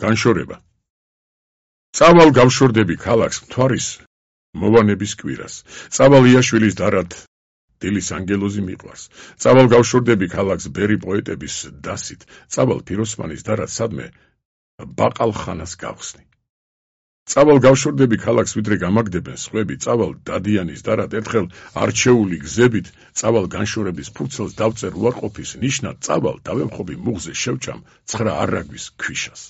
განშორება. წავალ გავშორდები ქალაქს მთვარის მოვანების კვირას. წავალ იაშვილის დარად დილის ანგელოზი მიყვარს. წავალ გავშორდები ქალაქს ბერი პოეტების დასით. წავალ ფიროსმანის დარად სადმე ბაყალხანას გავხსნი. წავალ გავშორდები ქალაქს ვიდრე გამაგდებენ სხვები. წავალ დადიანის დარად ერთხელ არჩეული გზებით. წავალ განშორების ფურცელს დავწერ უარყოფის ნიშნად. წავალ დავემხობი მუხზე შევჭამ 9 არაგვის ქვიშას.